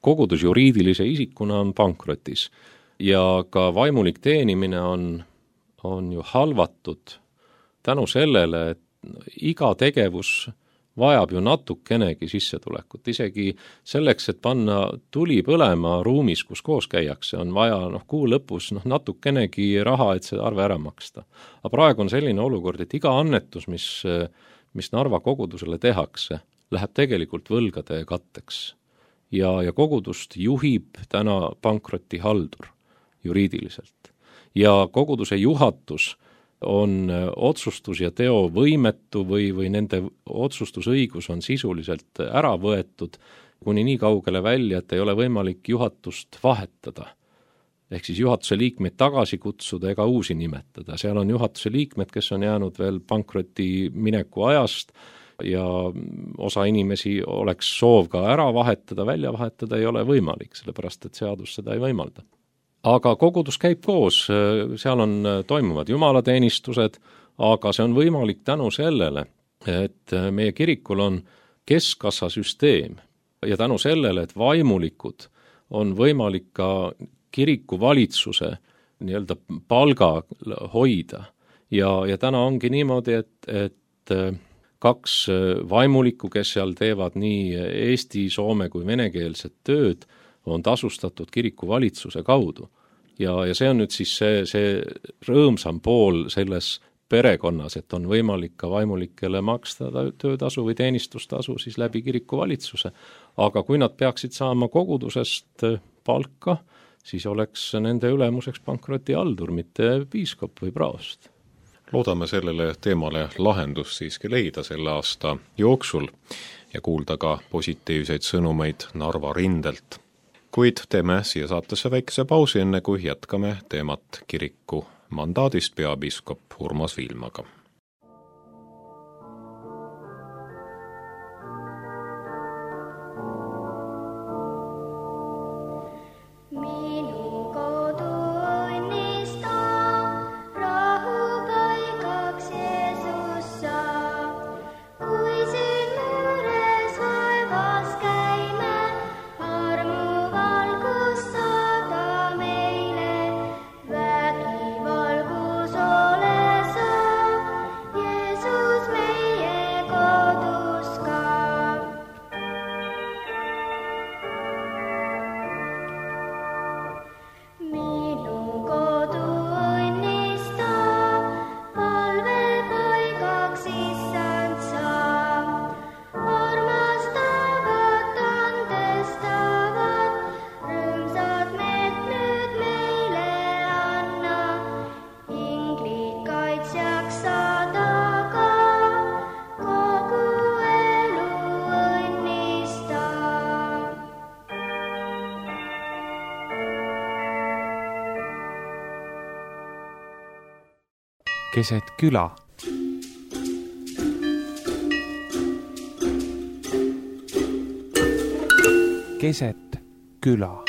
kogudus juriidilise isikuna on pankrotis ja ka vaimulik teenimine on ju halvatud tänu sellele, et iga tegevus vajab ju natukenegi sissetulekut, isegi selleks, et panna tuli põlema ruumis, kus koos käiakse, on vaja kuu lõpus natukenegi raha, et see arve ära maksta. Aga praegu on selline olukord, et iga annetus, mis Narva kogudusele tehakse, läheb tegelikult võlgade katteks. Ja kogudust juhib täna pankrotihaldur juriidiliselt. Ja koguduse juhatus on otsustus ja teo võimetu või nende otsustusõigus on sisuliselt ära võetud kuni nii kaugele välja, et ei ole võimalik juhatust vahetada. Ehk siis juhatuse liikmeid tagasi kutsuda ega uusi nimetada. Seal on juhatuse liikmed, kes on jäänud veel pankroti mineku ajast ja osa inimesi oleks soov ka ära vahetada, välja vahetada ei ole võimalik, sellepärast et seadus seda ei võimalda. Aga kogudus käib koos, seal toimuvad jumalateenistused, aga see on võimalik tänu sellele, et meie kirikul on keskkassasüsteem ja tänu sellele, et vaimulikud on võimalik ka kiriku valitsuse nii-öelda palga hoida. Ja täna ongi niimoodi, et 2 vaimulikku, kes seal teevad nii eesti, soome kui venekeelset tööd, on tasustatud kiriku valitsuse kaudu. Ja see on nüüd siis see rõõmsam pool selles perekonnas, et on võimalik ka vaimulikele maksta töötasu või teenistustasu siis läbi kiriku valitsuse. Aga kui nad peaksid saama kogudusest palka, siis oleks nende ülemuseks pankrotihaldur, mitte piiskop või praost. Loodame sellele teemale lahendust siiski leida selle aasta jooksul ja kuulda ka positiivseid sõnumeid Narva rindelt. Kuid teeme siia saatesse väikese pausi, enne kui jätkame teemat kiriku mandaadist peapiiskop Urmas Viilmaga. Keset küla. Keset küla.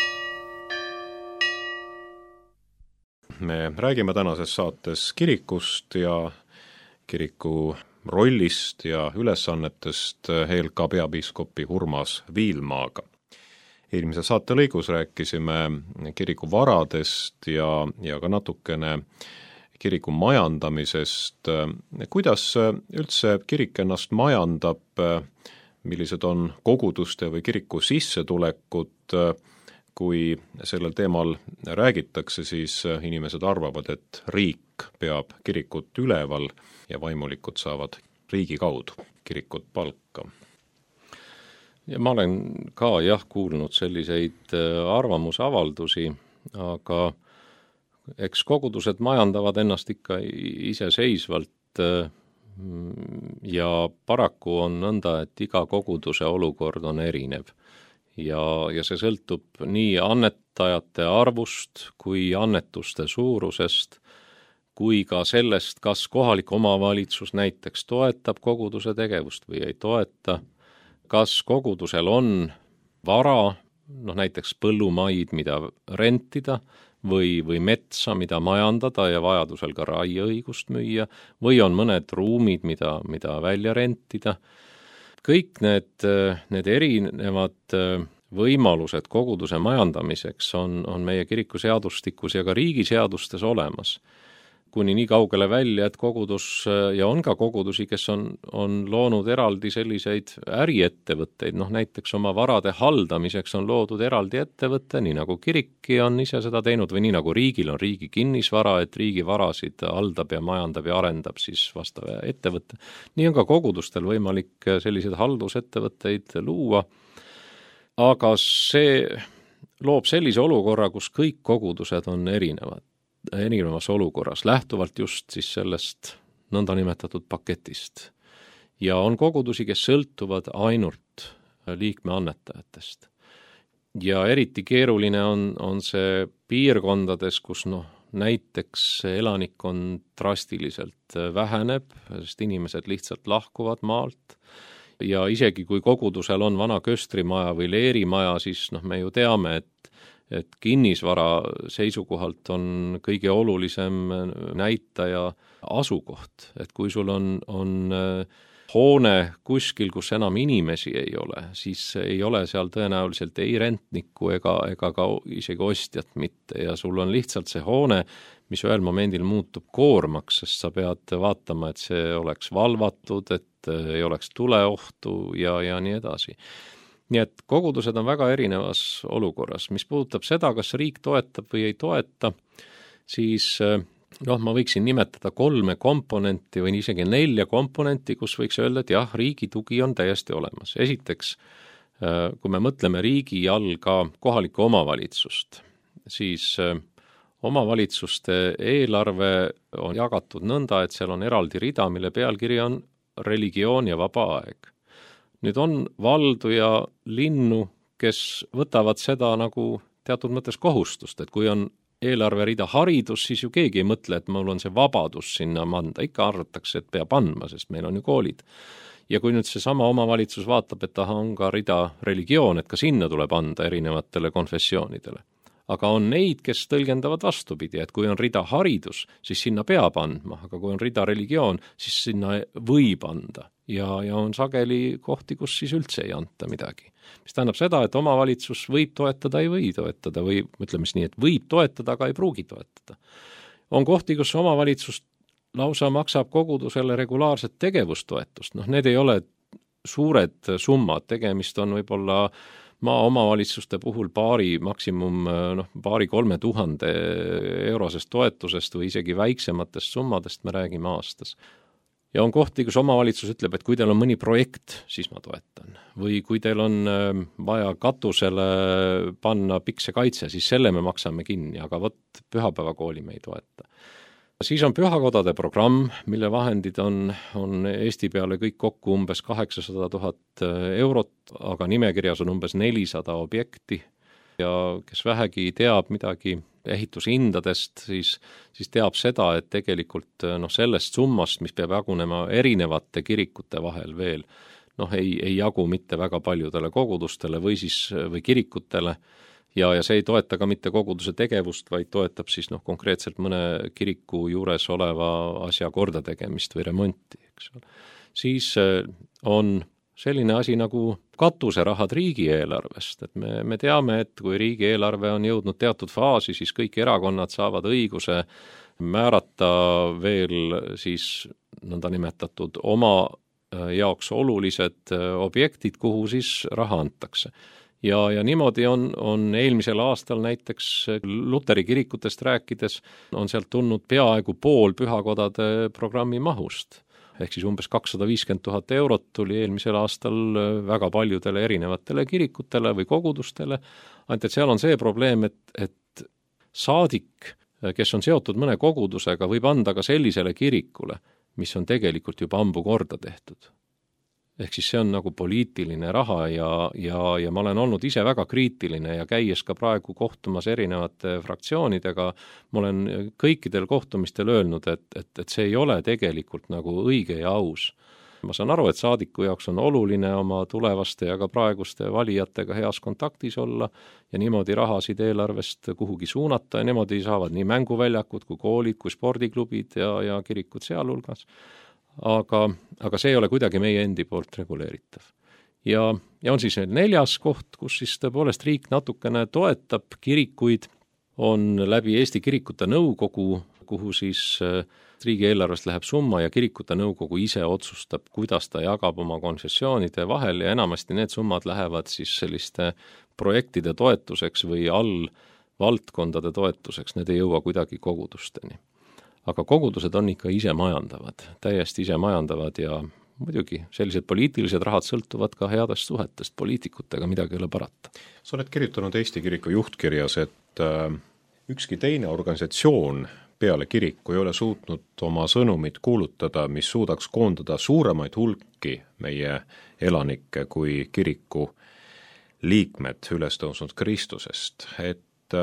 Me räägime tänases saates kirikust ja kiriku rollist ja ülesannetest ELK peapiiskopi Urmas Viilmaaga. Eelmise saate lõigus rääkisime kiriku varadest ja ka natukene kiriku majandamisest. Kuidas üldse kirik ennast majandab, millised on koguduste või kiriku sissetulekud, kui sellel teemal räägitakse, siis inimesed arvavad, et riik peab kirikut üleval ja vaimulikud saavad riigi kaudu kirikut palka. Ja ma olen ka kuulnud selliseid arvamusavaldusi, aga eks kogudused majandavad ennast ikka iseseisvalt ja paraku on nõnda, et iga koguduse olukord on erinev. Ja see sõltub nii annetajate arvust kui annetuste suurusest, kui ka sellest, kas kohalik omavalitsus näiteks toetab koguduse tegevust või ei toeta, kas kogudusel on vara, näiteks põllumaid, mida rentida, või metsa, mida majandada ja vajadusel ka raieõigust müüa, või on mõned ruumid, mida välja rentida. Kõik need erinevad võimalused koguduse majandamiseks on meie kirikuseadustikus ja ka riigiseadustes olemas. kuni nii kaugele välja, et kogudus ja on ka kogudusi, kes on loonud eraldi selliseid äriettevõtteid, näiteks oma varade haldamiseks on loodud eraldi ettevõte, nii nagu kirikki on ise seda teinud või nii nagu riigil on riigi kinnisvara, et riigi varasid haldab ja majandab ja arendab siis vastav ettevõte. Nii on ka kogudustel võimalik selliseid haldusettevõtteid luua, aga see loob sellise olukorra, kus kõik kogudused on erinevas olukorras, lähtuvalt just siis sellest nõndanimetatud paketist. Ja on kogudusi, kes sõltuvad ainult liikme annetajatest. Ja eriti keeruline on see piirkondades, kus näiteks elanikkond drastiliselt väheneb, sest inimesed lihtsalt lahkuvad maalt. Ja isegi kui kogudusel on vana köstrimaja või leerimaja, siis me ju teame, et kinnisvara seisukohalt on kõige olulisem näitaja asukoht. Et kui sul on hoone kuskil, kus enam inimesi ei ole, siis ei ole seal tõenäoliselt ei rentnikku ega ka isegi ostjat mitte. Ja sul on lihtsalt see hoone, mis ühel momendil muutub koormaks, sest sa pead vaatama, et see oleks valvatud, et ei oleks tuleohtu ja nii edasi. Nii et kogudused on väga erinevas olukorras. Mis puudutab seda, kas riik toetab või ei toeta, siis ma võiksin nimetada 3 komponenti või isegi 4 komponenti, kus võiks öelda, et jah, riigi tugi on täiesti olemas. Esiteks, kui me mõtleme riigi all ka kohalikku omavalitsust, siis omavalitsuste eelarve on jagatud nõnda, et seal on eraldi rida, mille pealkiri on religioon ja vaba aeg. Nüüd on valdu ja linnu, kes võtavad seda nagu teatud mõttes kohustust, et kui on eelarverida haridus, siis ju keegi ei mõtle, et mul on see vabadus sinna anda. Ikka arvatakse, et peab andma, sest meil on ju koolid. Ja kui nüüd see sama omavalitsus vaatab, et on ka rida religioon, et ka sinna tuleb anda erinevatele konfessioonidele. Aga on neid, kes tõlgendavad vastupidi, et kui on rida haridus, siis sinna peab andma, aga kui on rida religioon, siis sinna võib anda. Ja on sageli kohti, kus siis üldse ei anta midagi. Mis tähendab seda, et omavalitsus võib toetada, ei või toetada, või ütleme nii, et võib toetada, aga ei pruugi toetada. On kohti, kus omavalitsus lausa maksab kogudusele regulaarset tegevustoetust. Need ei ole suured summad, tegemist on võib-olla maaomavalitsuste puhul paari 3000 eurosest toetusest või isegi väiksematest summadest me räägime aastas. Ja on kohti, kus omavalitsus ütleb, et kui teil on mõni projekt, siis ma toetan. Või kui teil on vaja katusele panna piksekaitse, siis selle me maksame kinni, aga pühapäevakooli me ei toeta. Siis on pühakodade programm, mille vahendid on Eesti peale kõik kokku umbes 800 000 eurot, aga nimekirjas on umbes 400 objekti ja kes vähegi teab midagi ehitushindadest, siis teab seda, et tegelikult sellest summast, mis peab jagunema erinevate kirikute vahel veel, ei jagu mitte väga paljudele kogudustele või kirikutele, ja see ei toeta ka mitte koguduse tegevust, vaid toetab siis konkreetselt mõne kiriku juures oleva asja korda tegemist või remonti, eks ole. Siis on selline asi nagu katuserahad riigieelarvest, et me teame, et kui riigieelarve on jõudnud teatud faasi, siis kõik erakonnad saavad õiguse määrata veel siis nõndanimetatud oma jaoks olulised objektid, kuhu siis raha antakse. Ja niimoodi on eelmisel aastal näiteks Luteri kirikutest rääkides on sealt tulnud peaaegu pool pühakodade programmi mahust. Ehk siis umbes 250 000 eurot tuli eelmisel aastal väga paljudele erinevatele kirikutele või kogudustele. Ainult et seal on see probleem, et saadik, kes on seotud mõne kogudusega, võib anda ka sellisele kirikule, mis on tegelikult juba ammu korda tehtud. Ehk siis see on nagu poliitiline raha ja ma olen olnud ise väga kriitiline ja käies ka praegu kohtumas erinevate fraktsioonidega, ma olen kõikidel kohtumistel öelnud, et see ei ole tegelikult nagu õige ja aus. Ma saan aru, et saadiku jaoks on oluline oma tulevaste ja ka praeguste valijatega heas kontaktis olla ja niimoodi rahasid eelarvest kuhugi suunata ja niimoodi saavad nii mänguväljakud kui koolid kui spordiklubid ja kirikud sealhulgas. Aga see ei ole kuidagi meie endi poolt reguleeritav. Ja on siis 4. koht, kus siis tõepoolest riik natukene toetab kirikuid, on läbi Eesti Kirikute Nõukogu kuhu siis riigieelarvest läheb summa ja kirikute nõukogu ise otsustab, kuidas ta jagab oma konfessioonide vahel ja enamasti need summad lähevad siis selliste projektide toetuseks või valdkondade toetuseks, need ei jõua kuidagi kogudusteni. Aga kogudused on ikka ise majandavad, täiesti ise majandavad ja muidugi sellised poliitilised rahad sõltuvad ka headest suhetest poliitikutega, midagi ei ole parata. Sa oled kirjutanud Eesti Kiriku juhtkirjas, et ükski teine organisatsioon peale kiriku ei ole suutnud oma sõnumit kuulutada, mis suudaks koondada suuremaid hulki meie elanikke kui kiriku liikmed ülestõusnud Kristusest. Et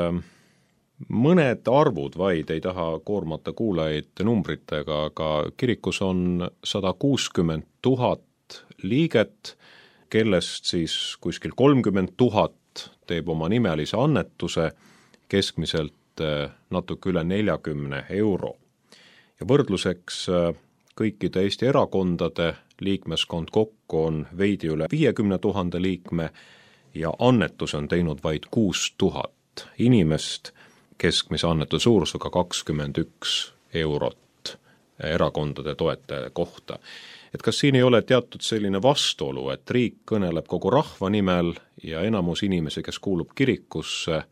mõned arvud vaid, ei taha koormata kuulajaid numbritega, aga kirikus on 160 000 liiget, kellest siis kuskil 30 000 teeb oma nimelise annetuse, keskmiselt natuke üle 40 euro. Ja võrdluseks kõikide Eesti erakondade liikmeskond kokku on veidi üle 50 000 liikme ja annetus on teinud vaid 6000 inimest, keskmise annetuse suurusega 21 eurot erakondade toetaja kohta. Et kas siin ei ole teatud selline vastuolu, et riik kõneleb kogu rahva nimel ja enamus inimesi, kes kuulub kirikusse,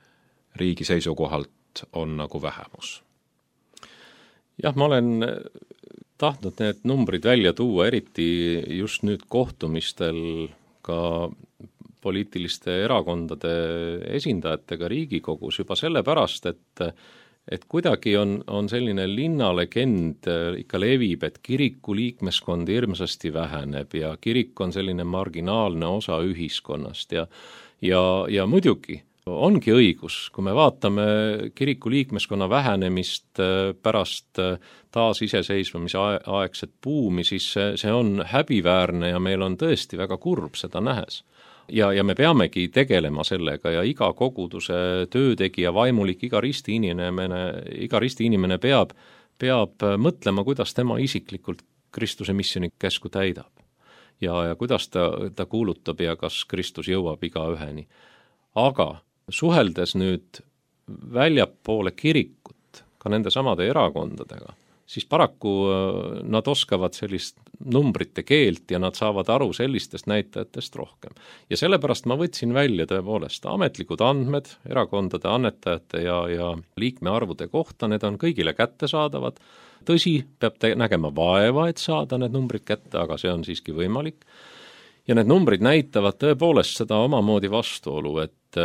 riigi seisukohalt on nagu vähemus? Jah, ma olen tahtnud need numbrid välja tuua, eriti just nüüd kohtumistel ka poliitiliste erakondade esindajatega Riigikogus juba sellepärast, et kuidagi on selline linnalegend ikka levib, et kiriku liikmeskond hirmsasti väheneb ja kirik on selline marginaalne osa ühiskonnast ja muidugi ongi õigus, kui me vaatame kiriku liikmeskonna vähenemist pärast taasiseseisvumise aegset buumi, siis see on häbiväärne ja meil on tõesti väga kurb seda nähes. Ja me peamegi tegelema sellega ja iga koguduse töötegija, vaimulik, iga risti inimene peab mõtlema, kuidas tema isiklikult Kristuse missioni käsku täidab. Ja kuidas ta kuulutab ja kas Kristus jõuab igaüheni. Aga suheldes nüüd väljapoole kirikut, ka nende samade erakondadega, siis paraku nad oskavad sellist numbrite keelt ja nad saavad aru sellistest näitajatest rohkem. Ja sellepärast ma võtsin välja tõepoolest ametlikud andmed erakondade annetajate ja liikmearvude kohta, need on kõigile kättesaadavad. Tõsi, peab nägema vaeva, et saada need numbrid kätte, aga see on siiski võimalik. Ja need numbrid näitavad tõepoolest seda omamoodi vastuolu, et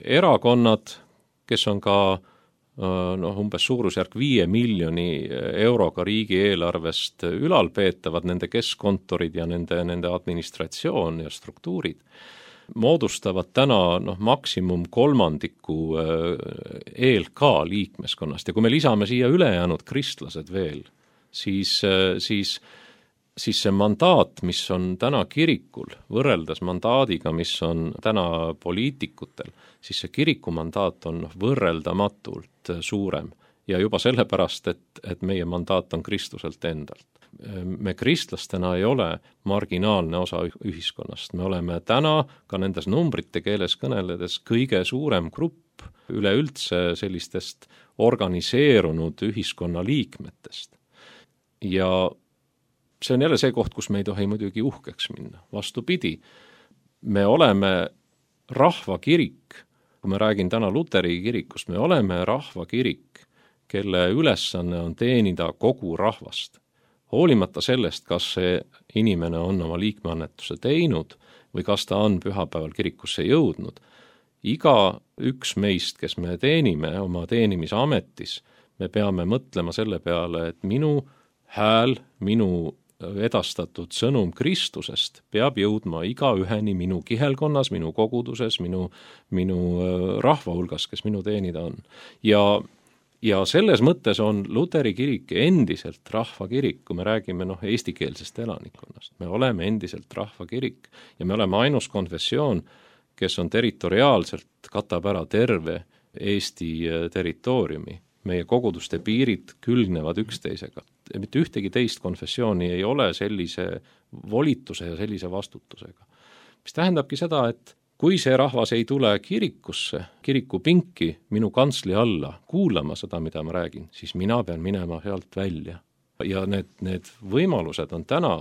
erakonnad, kes on ka umbes suurusjärk 5 miljoni euroga riigieelarvest ülalpeetavad, nende keskkontorid ja nende administratsioon ja struktuurid, moodustavad täna maksimum kolmandiku ELK liikmeskonnast ja kui me lisame siia ülejäänud kristlased veel, siis see mandaat, mis on täna kirikul, võrreldes mandaadiga, mis on täna poliitikutel, siis see kiriku mandaat on võrreldamatult suurem ja juba sellepärast, et meie mandaat on Kristuselt endalt. Me kristlastena ei ole marginaalne osa ühiskonnast, me oleme täna ka nendes numbrite keeles kõneledes kõige suurem grupp üleüldse sellistest organiseerunud ühiskonna liikmetest. Ja see on jälle see koht, kus me ei tohi muidugi uhkeks minna. Vastupidi, me oleme rahvakirik, kui ma räägin täna Luteri kirikust, me oleme rahvakirik, kelle ülesanne on teenida kogu rahvast. Hoolimata sellest, kas see inimene on oma liikmeannetuse teinud või kas ta on pühapäeval kirikusse jõudnud, iga üks meist, kes me teenime oma teenimisametis, me peame mõtlema selle peale, et minu hääl, minu edastatud sõnum Kristusest peab jõudma igaüheni minu kihelkonnas, minu koguduses, minu rahva hulgas, kes minu teenida on. Ja selles mõttes on Luteri kirik endiselt rahvakirik, kui me räägime eestikeelsest elanikkonnast. Me oleme endiselt rahvakirik ja me oleme ainus konfessioon, kes on territoriaalselt katab ära terve Eesti territooriumi. Meie koguduste piirid külgnevad üksteisega. Mitte ühtegi teist konfessiooni ei ole sellise volituse ja sellise vastutusega. Mis tähendabki seda, et kui see rahvas ei tule kirikusse, kirikupinki minu kantsli alla kuulama seda, mida ma räägin, siis mina pean minema sealt välja. Ja need võimalused on täna,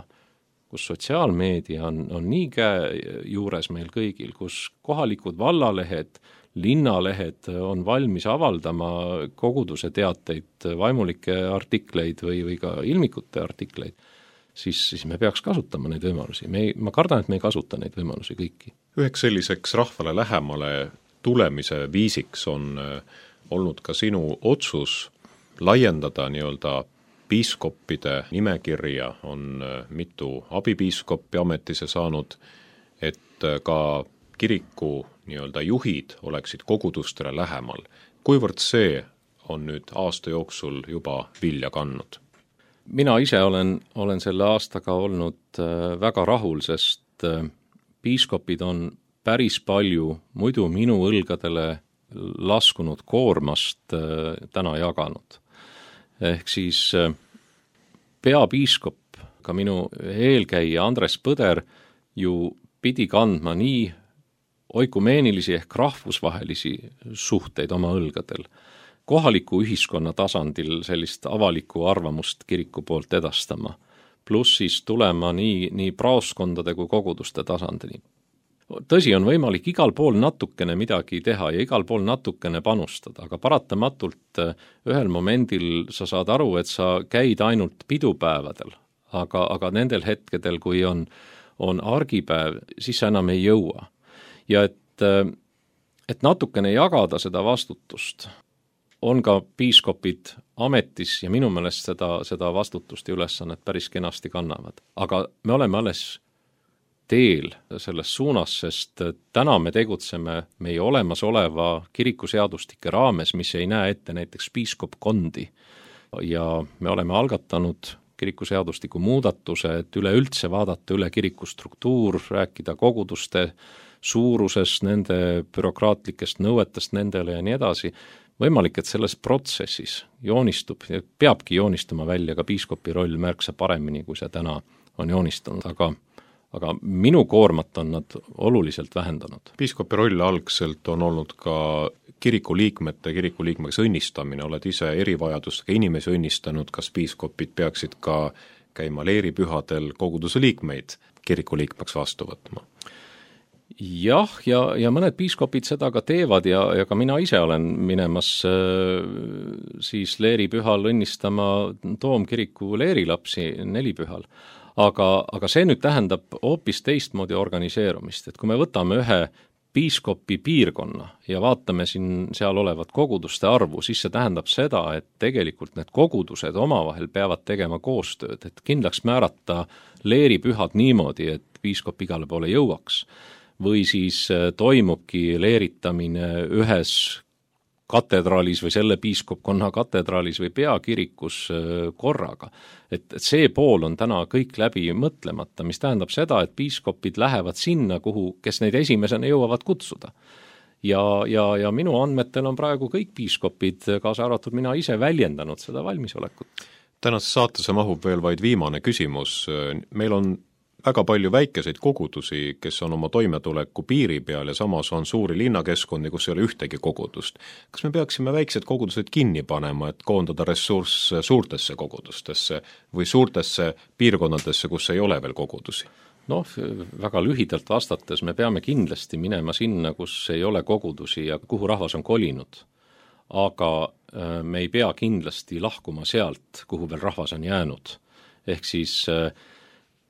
kus sotsiaalmeedia on nii käe juures meil kõigil, kus kohalikud vallalehed, linnalehed on valmis avaldama koguduse teateid, vaimulikke artikleid või ka ilmikute artikleid, siis me peaks kasutama neid võimalusi. Ma kardan, et me ei kasuta neid võimalusi kõiki. Üheks selliseks rahvale lähemale tulemise viisiks on olnud ka sinu otsus laiendada nii-öelda piiskoppide nimekirja, on mitu abipiiskoppi ametisse saanud, et ka kiriku nii-öelda juhid oleksid kogudustele lähemal. Kuivõrd see on nüüd aasta jooksul juba vilja kandnud? Mina ise olen selle aastaga olnud väga rahul, sest piiskopid on päris palju muidu minu õlgadele laskunud koormast täna jaganud. Ehk siis peapiiskop, ka minu eelkäija Andres Põder ju pidi kandma nii oikumeenilisi ehk rahvusvahelisi suhteid oma õlgadel, kohaliku ühiskonna tasandil sellist avalikku arvamust kiriku poolt edastama, pluss siis tulema nii praoskondade kui koguduste tasandini. Tõsi, on võimalik igal pool natukene midagi teha ja igal pool natukene panustada, aga paratamatult ühel momendil sa saad aru, et sa käid ainult pidupäevadel, aga nendel hetkedel, kui on argipäev, siis sa enam ei jõua. Ja et natukene jagada seda vastutust, on ka piiskopid ametis ja minu meelest seda vastutust ja ülesannet päris kenasti kannavad. Aga me oleme alles teel selles suunas, sest täna me tegutseme meie olemasoleva kirikuseadustike raames, mis ei näe ette näiteks piiskopkondi. Ja me oleme algatanud kirikuseadustiku muudatuse, et üleüldse vaadata üle kirikustruktuur, rääkida koguduste suurusest, nende bürokraatlikest nõuetest nendele ja nii edasi. Võimalik, et selles protsessis joonistub ja peabki joonistuma välja ka piiskopi roll märksa paremini, kui see täna on joonistunud, aga minu koormat on nad oluliselt vähendanud. Piiskopi roll algselt on olnud ka kirikuliikmeks õnnistamine, oled ise erivajadustega inimesi õnnistanud, kas piiskopid peaksid ka käima leeripühadel koguduse liikmeid kirikuliikmeks vastu võtma? Jah, ja mõned piiskopid seda ka teevad ja ka mina ise olen minemas siis leeripühal õnnistama Toomkiriku leerilapsi nelipühal. Aga see nüüd tähendab hoopis teistmoodi organiseerumist, et kui me võtame ühe piiskopi piirkonna ja vaatame seal olevat koguduste arvu, siis see tähendab seda, et tegelikult need kogudused omavahel peavad tegema koostööd, et kindlaks määrata leeripühad niimoodi, et piiskop igale poole jõuaks. Või siis toimubki leeritamine ühes katedraalis või selle piiskopkonna katedraalis või peakirikus korraga. Et see pool on täna kõik läbi mõtlemata, mis tähendab seda, et piiskopid lähevad sinna, kes neid esimesena jõuavad kutsuda. Ja minu andmetel on praegu kõik piiskopid, kaasa arvatud mina ise, väljendanud seda valmisolekut. Tänases saatesse mahub veel vaid viimane küsimus. Meil on väga palju väikeseid kogudusi, kes on oma toimetuleku piiri peal ja samas on suuri linnakeskkondi, kus ei ole ühtegi kogudust. Kas me peaksime väiksed kogudused kinni panema, et koondada ressurss suurtesse kogudustesse või suurtesse piirkonnadesse, kus ei ole veel kogudusi? Väga lühidalt vastates me peame kindlasti minema sinna, kus ei ole kogudusi ja kuhu rahvas on kolinud. Aga me ei pea kindlasti lahkuma sealt, kuhu veel rahvas on jäänud. Ehk siis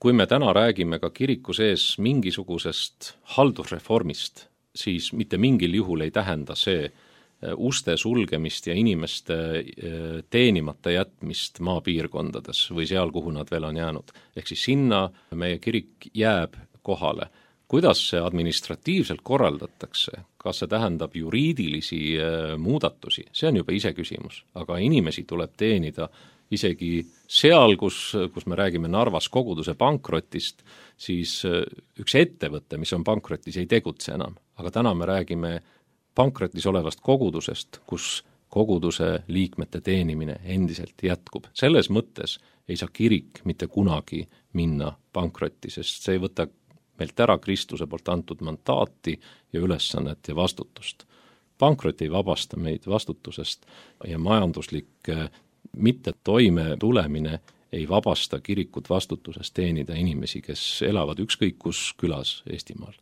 kui me täna räägime ka kiriku sees mingisugusest haldusreformist, siis mitte mingil juhul ei tähenda see uste sulgemist ja inimeste teenimata jätmist maapiirkondades või seal, kuhu nad veel on jäänud. Ehk siis sinna meie kirik jääb kohale. Kuidas see administratiivselt korraldatakse, kas see tähendab juriidilisi muudatusi, see on juba ise küsimus, aga inimesi tuleb teenida isegi seal, kus me räägime Narvas koguduse pankrotist, siis üks ettevõte, mis on pankrotis, ei tegutse enam. Aga täna me räägime pankrotis olevast kogudusest, kus koguduse liikmete teenimine endiselt jätkub. Selles mõttes ei saa kirik mitte kunagi minna pankrotti, sest see ei võta meilt ära Kristuse poolt antud mandaati ja ülesannet ja vastutust. Pankrot ei vabasta meid vastutusest ja majanduslik mitte toime tulemine ei vabasta kirikut vastutusest teenida inimesi, kes elavad ükskõik kus külas Eestimaal.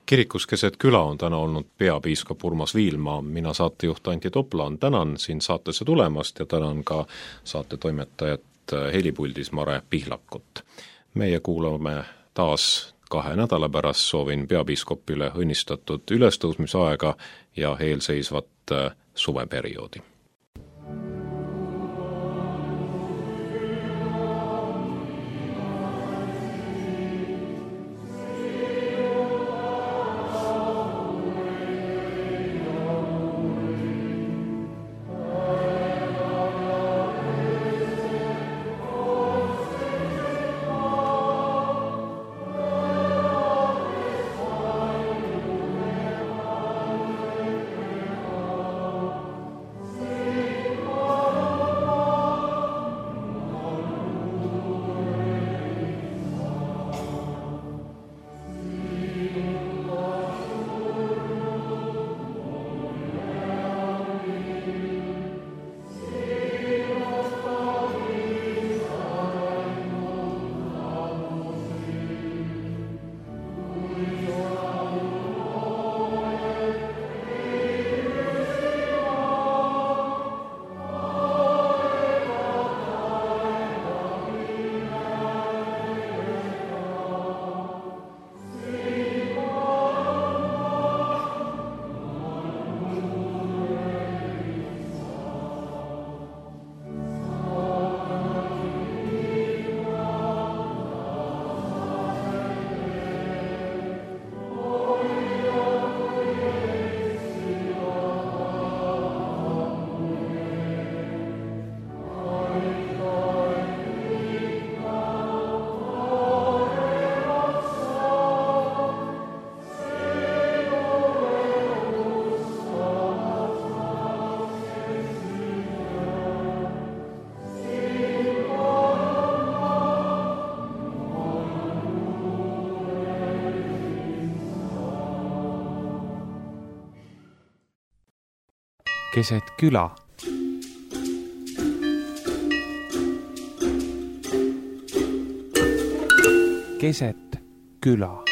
Kirikus keset küla on täna olnud peapiiskop Urmas Viilma, mina saatejuht Anti Toplaan, tänan siin saatesse tulemast ja tänan ka saate toimetajat helipuldis Mare Pihlakut. Meie kuulame taas 2 nädala pärast, soovin peapiiskopile õnnistatud ülestõusmisaega ja eelseisvat suveperioodi. Keset küla. Keset küla.